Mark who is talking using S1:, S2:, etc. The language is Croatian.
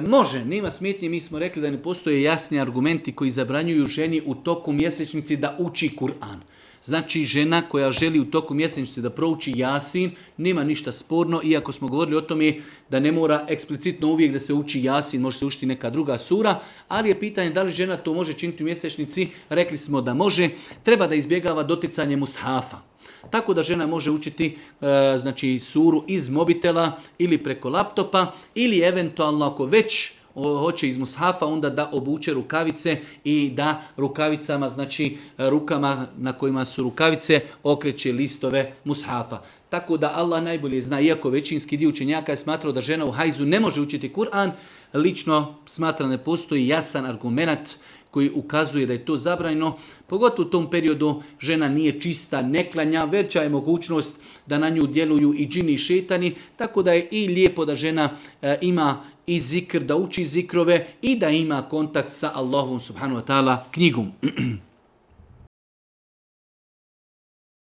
S1: Može, nema smetnje, mi smo rekli da ne postoje jasni argumenti koji zabranjuju ženi u toku mjesečnici da uči Kur'an. Znači žena koja želi u toku mjesečnice da prouči Jasin, nema ništa sporno, iako smo govorili o tome da ne mora eksplicitno uvijek da se uči Jasin, može se učiti neka druga sura, ali je pitanje da li žena to može činiti u mjesečnici, rekli smo da može, treba da izbjegava doticanje mushafa. Tako da žena može učiti znači suru iz mobitela ili preko laptopa ili eventualno ako već hoće iz mushafa onda da obuče rukavice i da rukavicama, znači rukama na kojima su rukavice okreće listove mushafa. Tako da Allah najbolje zna, iako većinski dio učenjaka je smatrao da žena u hajzu ne može učiti Kur'an, lično smatram da ne postoji jasan argument koji ukazuje da je to zabranjeno. Pogotovo u tom periodu žena nije čista, ne klanja, veća je mogućnost da na nju djeluju i džini i šetani, tako da je i lijepo da žena ima i zikr, da uči zikrove i da ima kontakt sa Allahom subhanahu wa ta'ala knjigom.